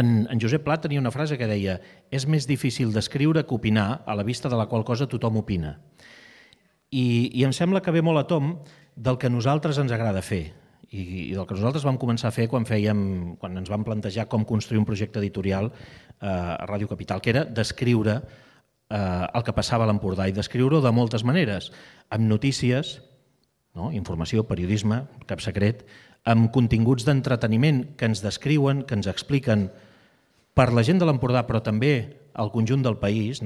En Josep Pla tenia una frase que deia: és més difícil d'escriure que opinar, a la vista de la qual cosa tothom opina. I em sembla que ve molt a tom del que a nosaltres ens agrada fer i del que nosaltres vam començar a fer quan ens vam plantejar com construir un projecte editorial a Ràdio Capital, que era descriure el que passava a l'Empordà i descriure-ho de moltes maneres, amb notícies, informació, periodisme, cap secret, amb continguts d'entreteniment que ens descriuen, que ens expliquen per la gent de l'Empordà, però també al conjunt del país,